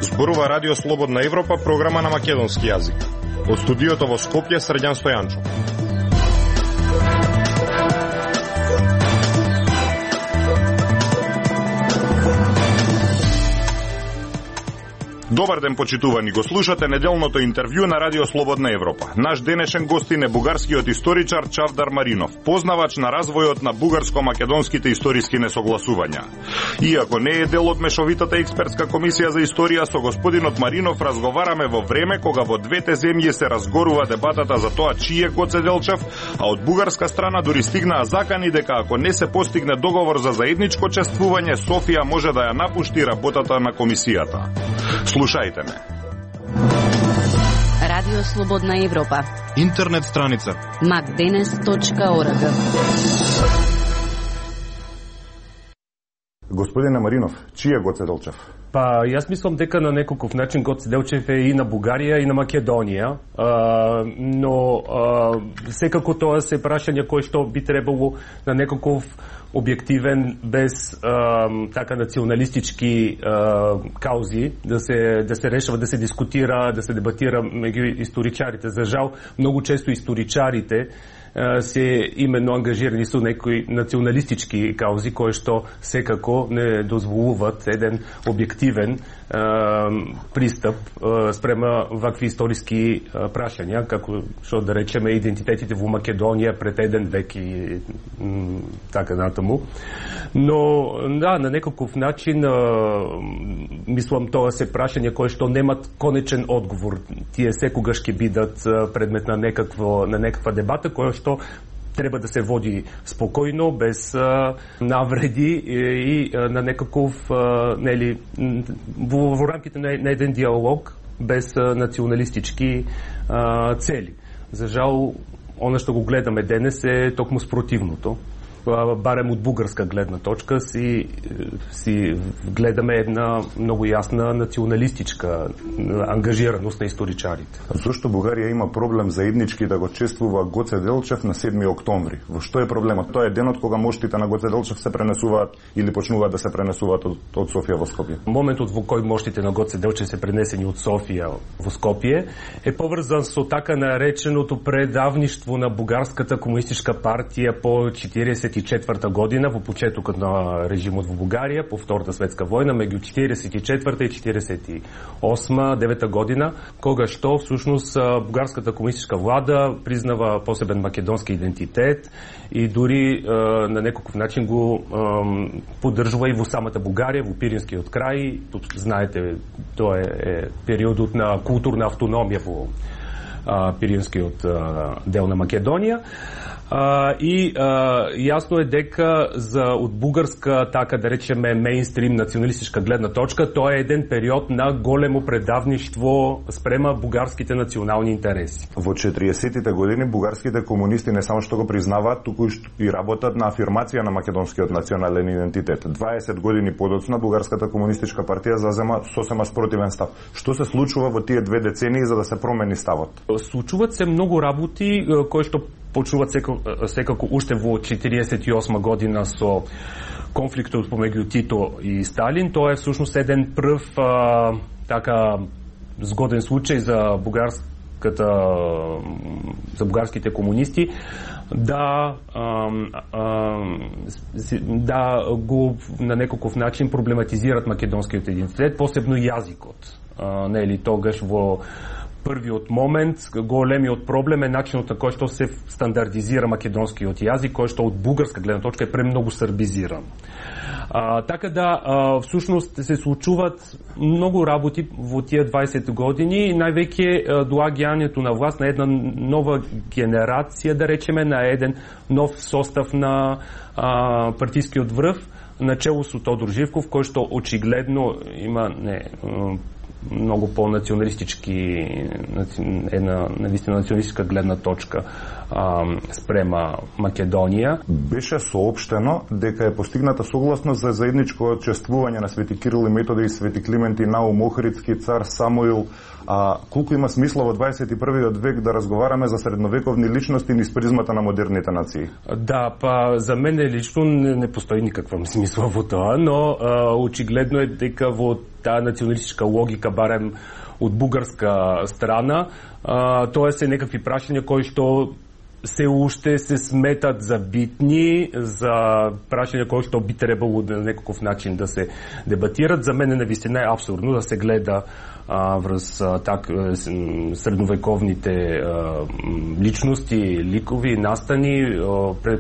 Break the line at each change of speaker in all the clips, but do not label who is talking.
Зборува Радио Слободна Европа, програма на македонски јазик. Од студиото во Скопје, Срđan Стојанчо. Добар ден, почитувани, го слушате неделното интервју на Радио Слободна Европа. Наш денешен гостин е бугарскиот историчар Чавдар Маринов, познавач на развојот на бугарско-македонските историски несогласувања. Иако не е дел од мешовитата експертска комисија за историја, со господинот Маринов разговараме во време кога во двете земји се разгорува дебатата за тоа чиј е Гоце Делчев, а од бугарска страна дури стигнаа закани дека ако не се постигне договор за заедничко чествување, Софија може да ја напушти работата на комисијата. Слушајте ме.
Радио Слободна Европа.
Интернет страница
macdenes.org.
Господине Маринов, чиј е Гоце Делчев?
Па, јас мислам дека на некаков начин Гоце Делчев е и на Бугарија и на Македонија, но секако тоа се прашања кои што би требало на некаков објективен, без така националистички каузи да се решава, да се дискутира, да се дебатира меѓу историчарите. За жал, многу често историчарите се именно ангажирани со некои националистички каузи кои што секако не дозволуваат еден објективен пристап спрема вакви историски прашања, како што да речеме идентитетите во Македонија пред еден век и така натаму. Но да, на некаков начин мислам тоа се прашања кои што немат конечен одговор. Тие секогаш ќе бидат предмет на некаква дебата која што треба да се води спокојно, без навреди и на некаков во рамките на еден диалог, без националистички цели. За жал, она што го гледаме денес е токму спротивното. Барем од бугарска гледна точка си гледаме една многу јасна националистичка ангажираност на историчарите.
Зошто Бугарија има проблем заеднички да го чествува Гоце Делчев на 7 октомври? Во што е проблемот? Тоа е денот кога моштите на Гоце Делчев се пренесуваат или почнуваат да се пренесуваат од Софија во Скопје?
Моментот во кој моштите на Гоце Делчев се пренесени од Софија во Скопје е поврзан со така нареченото предавништво на бугарската комунистичка партија по 1944 година, во почетокот на режимот во Бугарија, по Втората светска војна, меѓу 1944 и 1948-9 година, кога што всушност бугарската комунистичка влада признава посебен македонски идентитет и дури на некаков начин го поддржува и во самата Бугарија, во Пиринскиот крај. Тут знаете, тоа е периодот на културна автономија во Пиринскиот дел на Македонија. И јасно е дека од бугарска, така да речеме, мејнстрим националистичка гледна точка, тоа е еден период на големо предавништво спрема бугарските национални интереси.
Во 40-тите години бугарските комунисти не само што го признаваат, туку и работат на афирмација на македонскиот национален идентитет. 20 години подоцна бугарската комунистичка партија зазема сосема спротивен став. Што се случува во тие 2 децении за да се промени ставот?
Случуваат се многу работи кои што почнуваат секако уште во 1948 година со конфликтот помеѓу Тито и Сталин. Тоа е всушност еден прв така згоден случај за бугарските комунисти да го на некаков начин проблематизират македонскиот идентитет, посебно јазикот. Нели тогаш во првиот момент, големиот проблем е начинот на кој што се стандардизира македонскиот јазик, кој што од бугарска гледна точка е премногу србизиран. Така да, всушност се случуваат многу работи во тие 20 години, највеќе доаѓањето на власт на една нова генерација, да речеме, на еден нов состав на партискиот врв, начело со Тодор Живков, кој што очигледно има многу по-националистички, една навистина националистичка гледна точка спрема Македонија.
Беше соопштено дека е постигната согласност за заедничко учествување на Свети Кирил и Методи и Свети Климент и Наум Охридски, цар Самуил. Колку има смисла во 21. век да разговараме за средновековни личности низ призмата на модерните нации?
Да, па за мене лично не постои никаква смисла во тоа, но очигледно е дека во таа националистичка логика, барем од бугарска страна, тоа се некакви прашања кои што се уште се сметат за битни, за прашања кои што би требало на некаков начин да се дебатират. За мене навистина е апсурдно да се гледа врз средновековните личности, ликови, настани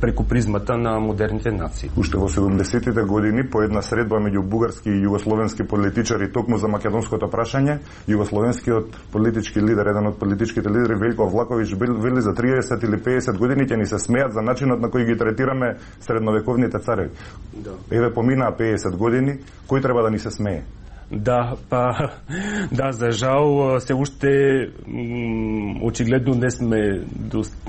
преку призмата на модерните нации.
Уште во 70-тите години по една средба меѓу бугарски и југословенски политичари токму за македонското прашање, југословенскиот политички лидер, еден од политичките лидери Велко Влаковиќ вели за 30 или 50 години ќе ни се смеат за начинот на кој ги третираме средновековните цареви. Да. Еве поминаа 50 години, кој треба да ни се смее?
Да, за жал се уште очигледно не сме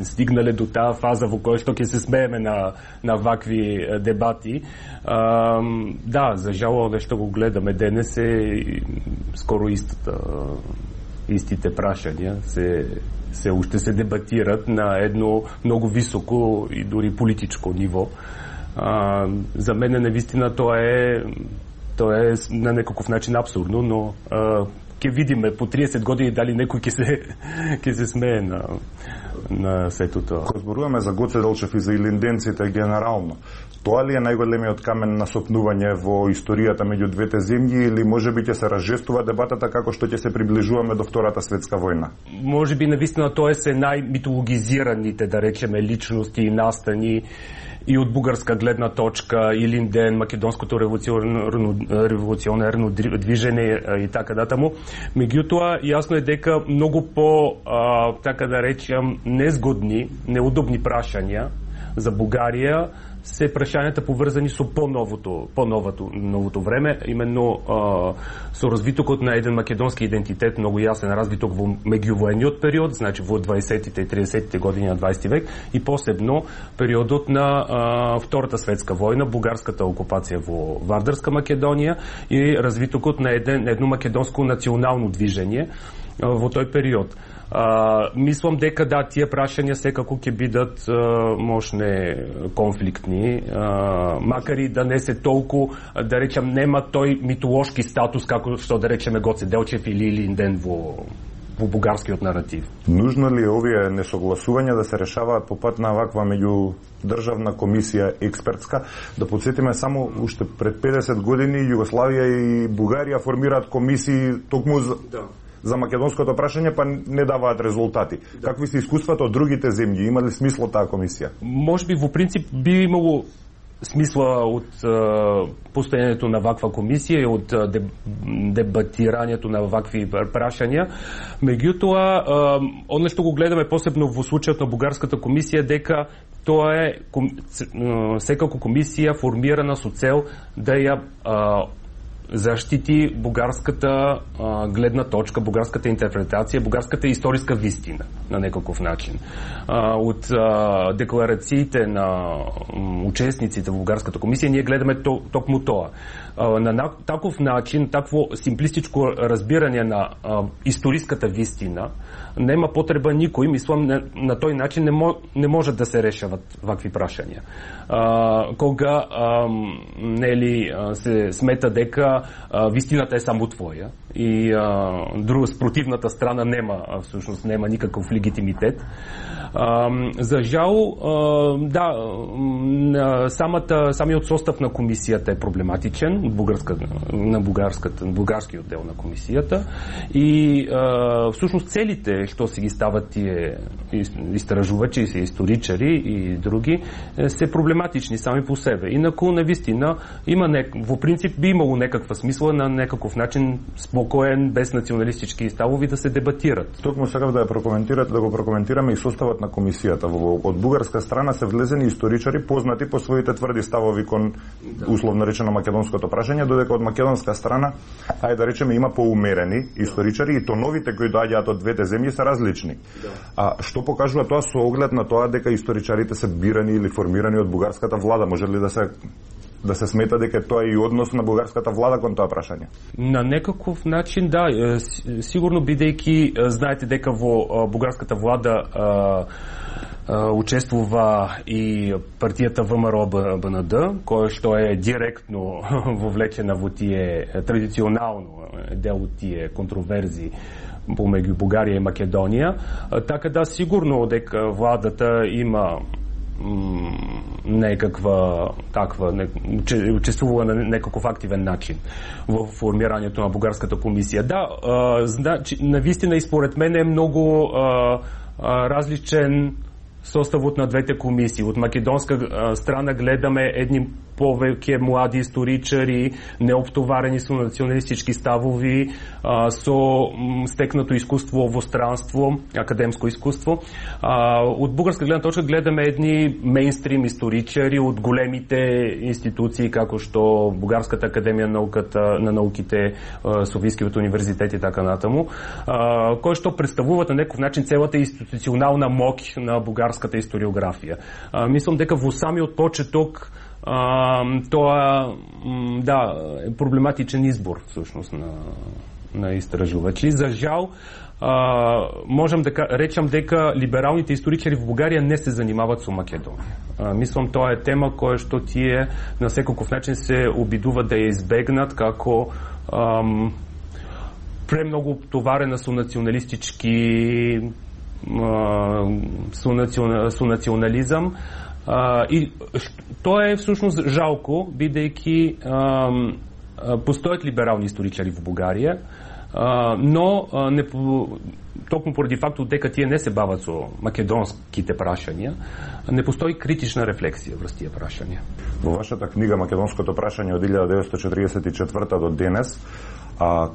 стигнале до таа фаза во која што ќе се смееме на вакви дебати. Да, за жал овде што го гледаме денес е скоро истите прашања се уште се дебатират на едно многу високо и дури политичко ниво. За мене навистина тоа е на некаков начин абсурдно, но ќе видиме по 30 години дали некој ќе се смее на сето тоа.
Кога зборуваме за Гоце Делчев и за илинденците генерално, тоа ли е најголемиот камен на сопнување во историјата меѓу двете земји или можеби ќе се разжестува дебатата како што ќе се приближуваме до Втората светска војна?
Можеби навистина тоа се најмитологизираните, да речеме, личности и настани и од бугарска гледна точка, Илинден, македонското револуционерно движење и така датаму. Меѓутоа, јасно е дека многу по, така да речем, незгодни, неудобни прашања за Бугарија се прашањата поврзани со новото време, именно со развитокот на еден македонски идентитет, многу јасен развиток во меѓувојниот период, значи во 20-тите и 30-тите години на 20 век и посебно периодот на Втората светска војна, бугарската окупација во Вардарска Македонија и развитокот на едно македонско национално движење во тој период. Мислам дека да, тие прашања секако ќе бидат мощне конфликтни, макар и да не се толку, да речем, нема тој митолошки статус како што да речеме Гоце Делчев или Илинден во бугарскиот наратив.
Нужно ли е овие несогласувања да се решаваат по пат на ваква меѓудржавна комисија експертска? Да подсетиме само уште пред 50 години Југославија и Бугарија формираат комисии токму за македонското прашање, па не даваат резултати. Да. Какви се искуствата од другите земји? Има ли смисло таа комисија?
Можеби во принцип би имало смисла од постојањето на ваква комисија и од дебатирањето на вакви прашања. Меѓутоа, оно што го гледаме посебно во случајот на бугарската комисија, дека тоа е секако комисија формирана со цел да ја заштити бугарската гледна точка, бугарската интерпретација, бугарската историска вистина на некаков начин. Од декларациите на учесниците во бугарската комисија ние гледаме токму тоа. На таков начин, такво симплистичко разбирање на историската вистина нема потреба никој, мислам, на тој начин не може да се решават вакви прашања. Кога се смета дека вистината е само твоја и спротивната страна нема никаков легитимитет. За жал, да, самиот состав на комисијата е проблематичен, на бугарскиот дел на комисијата и всушност целите што си ги стават тие истражувачи, се историчари и други, се проблематични сами по себе. Инаку, навистина, во принцип би имало некаква некаква смисла на некаков начин спокоен, без националистички ставови да се дебатират.
Токму сакав да го прокоментираме и составот на комисијата. Од бугарска страна се влезени историчари познати по своите тврди ставови кон условно речено македонското прашање, додека од македонска страна, ајде да речеме, има поумерени историчари и тоновите кои доаѓаат од двете земји се различни. А што покажува тоа со оглед на тоа дека историчарите се бирани или формирани од бугарската влада? Може ли да се смета дека тоа е и однос на бугарската влада кон тоа прашање?
На некаков начин, да, сигурно бидејќи знаете дека во бугарската влада учествува и партијата ВМРО-БНД, која што е директно вовлечена во тие традиционално дел од тие контроверзии помеѓу Бугарија и Македонија. Така да, сигурно дека владата има некаква таква, учествува на некаков активен начин во формирањето на бугарската комисија. Да, значи, навистина и според мене е многу различен составот на двете комисии. Од македонска страна гледаме едни повеќе млади историчари, неоптоварени со националистички ставови, со стекнато искуство во странство, академско искуство. Од бугарска гледна точка гледаме едни мејнстрим историчари од големите институции, како што Бугарската академија на науките, Софискиот универзитет и така натаму, кои што представуваат на некој начин целата институционална моќ на бугарската историографија. Мислам дека во самиот почеток тоа е проблематичен избор всушност на истражувачи. За жал, можам да речам дека либералните историчари во Бугарија не се занимаваат со Македонија. Мислам тоа е тема која што тие на секаков начин се обидуваат да ја избегнат како премногу товарена со националистички со национализам. И тоа е всушност жалко, бидејќи постојат либерални историчари во Бугарија, но токму поради фактот дека тие не се бават со македонските прашања, не постои критична рефлексија врз тие прашања.
Во вашата книга Македонското прашање од 1944 до денес,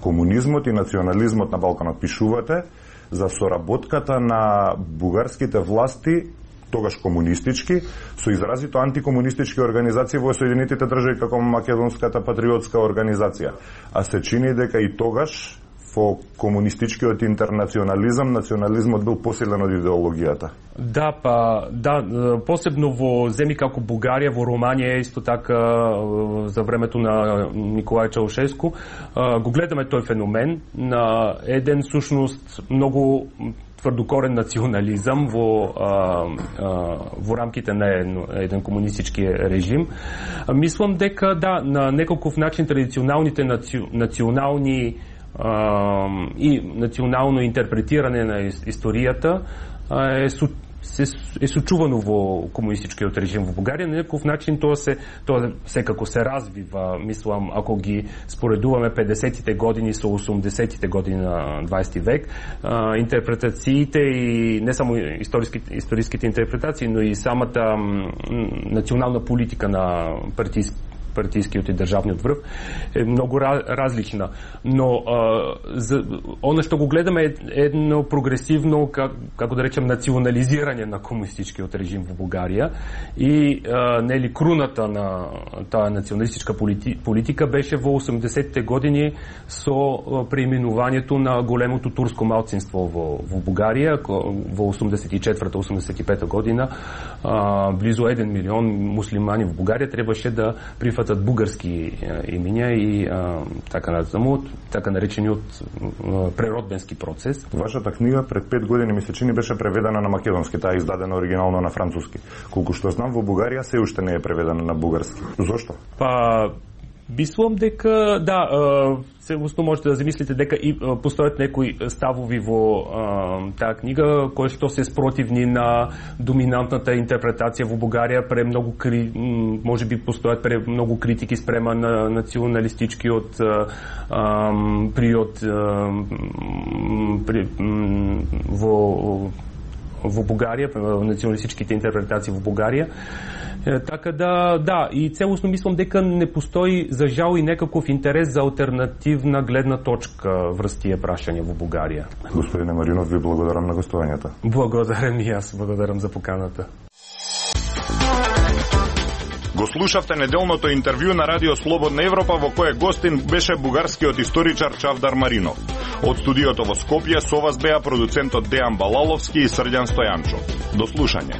комунизмот и национализмот на Балканот, пишувате за соработката на бугарските власти, тогаш комунистички, со изразито антикомунистички организации во Соединетите држави како Македонската патриотска организација. А се чини дека и тогаш во комунистичкиот интернационализам национализмот бил посилен од идеологијата.
Да, посебно во земји како Бугарија, во Романија исто така за времето на Николај Чаушеску, го гледаме тој феномен на еден всушност многу тврдокорен национализам во рамките на еден комунистички режим. Мислам дека на неколков начин традиционалните национални и национално интерпретирање на историјата е сочувано во комунистичкиот режим во Бугарија. На некој начин тоа секако се развива, мислам, ако ги споредуваме 50-тите години со 80-тите години на 20 век, интерпретациите и не само историските интерпретации, но и самата национална политика на партискиот и државниот врв е многу различна. Но она што го гледаме е едно прогресивно, како да речем, национализирање на комунистичкиот режим во Бугарија и нели круната на таа националистичка политика беше во 80-те години со преименувањето на големото турско малцинство во Бугарија во 84-85 година. Близу 1 милион муслимани во Бугарија требаше да прифатат бугарски имиња и така наречениот преродбенски процес.
Вашата книга пред 5 години ми се чини беше преведена на македонски, таа е издадена оригинално на француски. Колку што знам, во Бугарија се уште не е преведена на бугарски. Зошто?
Мислам дека се устно можете да замислите дека и постојат некои ставови во таа книга кои што се спротивни на доминантната интерпретација во Бугарија, можеби постојат многу критики спрема на националистичкиот приод во Бугарија, националистичките интерпретации во Бугарија. Така да, и целосно мислам дека не постои за жал и некаков интерес за алтернативна гледна точка врз тие прашања во Бугарија.
Господине Маринов, ви благодарам на гостувањето.
Благодарам и јас, благодарам за поканата.
Го слушавте неделното интервју на Радио Слободна Европа, во кое гостин беше бугарскиот историчар Чавдар Маринов. Од студиото во Скопје со вас беа продуцентот Дејан Балаловски и Срđan Стојанчов. До слушање.